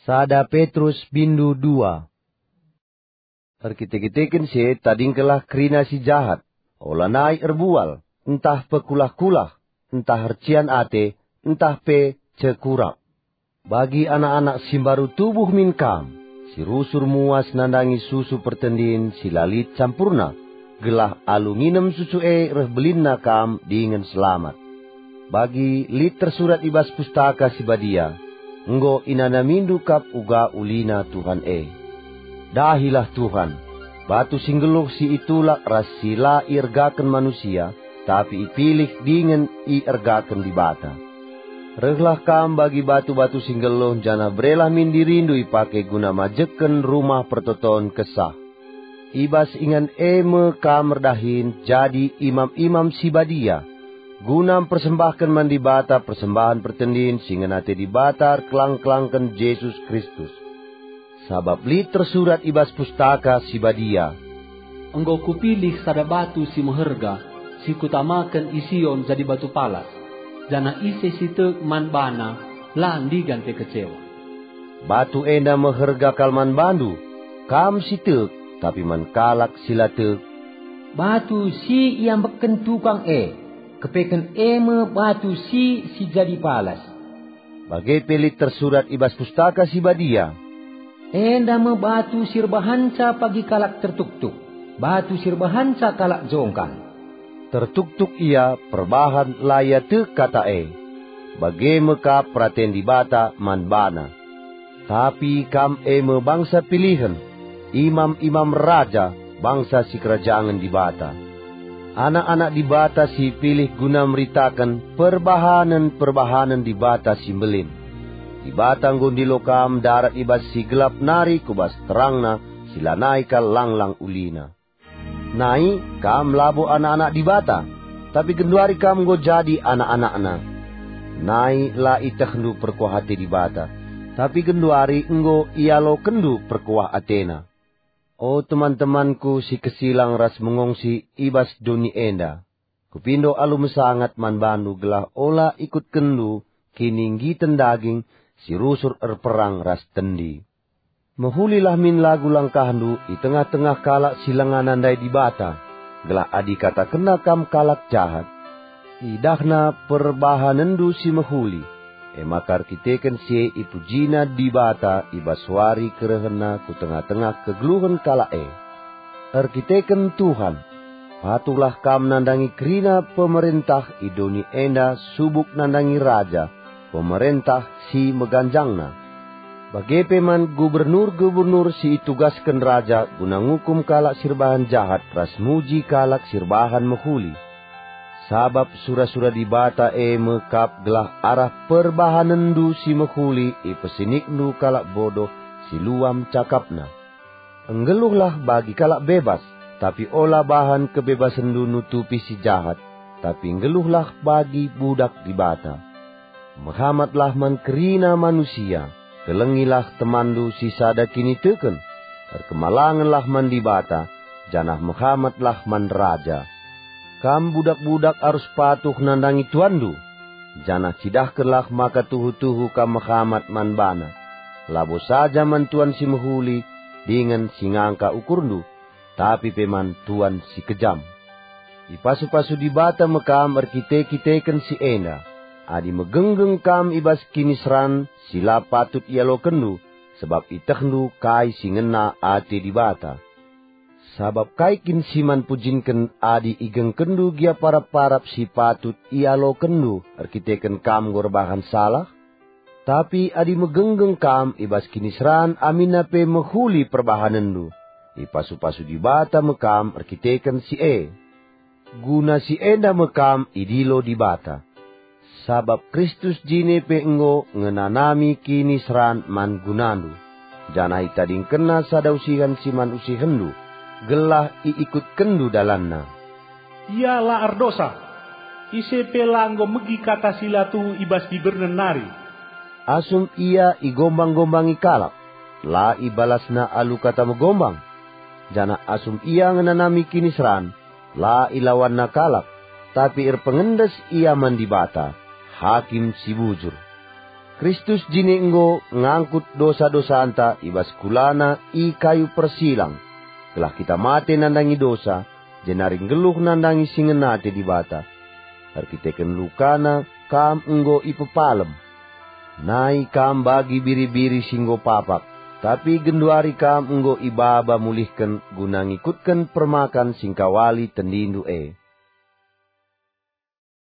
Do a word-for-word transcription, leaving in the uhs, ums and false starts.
Sada Petrus bindu dua. Erkite-kiteken si e tadingkenlah kerina si jahat, olanai erbual, ntah pekulah-kulah, ntah ercian ate, ntah pe cekurak. Bagi anak-anak si mbaru tubuh min kam, si rusur muas nandangi susu pertendin si la lit campurna, gelah alu nginem susu e reh belinna kam dingen selamat. Bagi lit tersurat i bas Pustaka Si Badia, "Enggo inanamindu kap uga ulina Tuhan e." Dahilah Tuhan, batu si nggeluh si itulak ras si la iergaken manusia, tapi ipilih dingen iergaken Dibata. Rehlah kam bagi batu-batu si nggeluh, janah berelah min dirindu ipake guna majekken Rumah Pertoton Kesah. I bas ingan e me kam erdahin jadi imam-imam si badia, guna mpersembahken man Dibata persembahen pertendin si ngena ate Dibata erkelang-kelangken Jesus Kristus. Sabap lit tersurat i bas Pustaka Si Badia, "Enggo Kupilih sada batu si meherga, si Kutamaken i Sion jadi batu palas, janah ise si tek man bana la ndigan pe kecewa." Batu enda meherga kal man bandu, kam si tek, tapi man kalak si la tek. Batu si iambekken tukang e, kepeken e me batu si, si jadi palas. Bage pe lit tersurat i bas Pustaka Si Badia, "Enda me batu si erbahanca pagi kalak tertuktuk, batu si erbahanca kalak jongkang." Tertuktuk ia perbahan la ia tek kata e. Bage me kap peraten Dibata man bana. Tapi kam e me bangsa pilihen, imam-imam raja, bangsa sikerajangen Dibata. Anak-anak Dibata si ipilih guna meritaken perbahanen-perbahanen Dibata si mbelin. Dibata enggo ndilo kam ndarat i bas si gelap nari ku bas terangna si lanai kal lang-lang ulina. Nai, kam labo anak-anak Dibata, tapi genduari kam enggo jadi anak-anakNa. Nai la itehndu perkuah ate Dibata, tapi genduari enggo ialokenndu perkuah ateNa. O teman-temanku si kesilang ras mengongsi i bas doni enda, kupindo alu mesangat man bandu gelah ola ikutkenndu kininggiten daging si rusur erperang ras tendi. Mehulilah min lagu langkahndu i tengah-tengah kalak si langa nandai Dibata, gelah adi ikatakenna kam kalak jahat, idahna perbahanenndu si mehuli, e maka erkiteken si e ipujina Dibata i bas wari kerehenNa ku tengah-tengah kegeluhen kalak e. Erkiteken Tuhan, patuhlah kam nandangi kerina pemerentah i doni enda subuk nandangi raja, pemerentah si meganjangna. Bage pe man gubernur-gubernur si itugasken raja guna ngukum kalak si erbahan jahat ras muji kalak si erbahan mehuli. Sabap sura-sura Dibata e me kap gelah arah perbahanenndu si mehuli ipesinikndu kalak bodoh si luam cakapna. Nggeluhlah bagi kalak bebas, tapi ola bahan kebebasenndu nutupi si jahat, tapi nggeluhlah bagi budak Dibata. Mehamatlah man kerina manusia, kelengilah temanndu si sada kiniteken, erkemalangenlah man Dibata, janah mehamatlah man raja. Kam budak-budak arus patuh nandangi tuanndu, janah cidahkenlah maka tuhu-tuhu kam mehamat man bana, labo saja man tuan si mehuli dingen si ngangka ukurndu, tapi pe man tuan si kejam. Ipasu-pasu Dibata me kam erkite-kiteken si enda. Adi megenggeng kam i bas kiniseran si la patut ialokenndu, sebab itehndu kai si ngena ate Dibata. Sabap kai kin si man pujinken adi igengkenndu gia parap-parap si patut ialokenndu erkiteken kam enggo erbahan salah? Tapi adi megenggeng kam i bas kiniseran aminna pe mehuli perbahanenndu, ipasu-pasu Dibata me kam erkiteken si e. Guna si enda me kam idilo Dibata. Sabap Kristus jine pe enggo ngenanami kiniseran man gunandu, janah itadingkenNa sada usihen si man usihenndu, gelah iikutkenndu dalanNa. Ia la erdosa. Ise pe la enggo megi kata si la tuhu i bas dibernen nari. Asum ia igombang-gombangi kalak, la ibalasna alu kata megombang. Janah asum ia ngenanami kiniseran, la ilawanna kalak, tapi erpengendes ia man Dibata, Hakim si bujur. Kristus jine enggo ngangkut dosa-dosanta i bas kulana i kayu persilang, gelah kita mate nandangi dosa, jenari nggeluh nandangi si ngena ate Dibata. Erkiteken lukana kam enggo ipepalem. Nai kam bagi biri-biri si enggo papak, tapi genduari kam enggo ibaba mulihken guna ngikutken permakan si ngkawali tendindu e.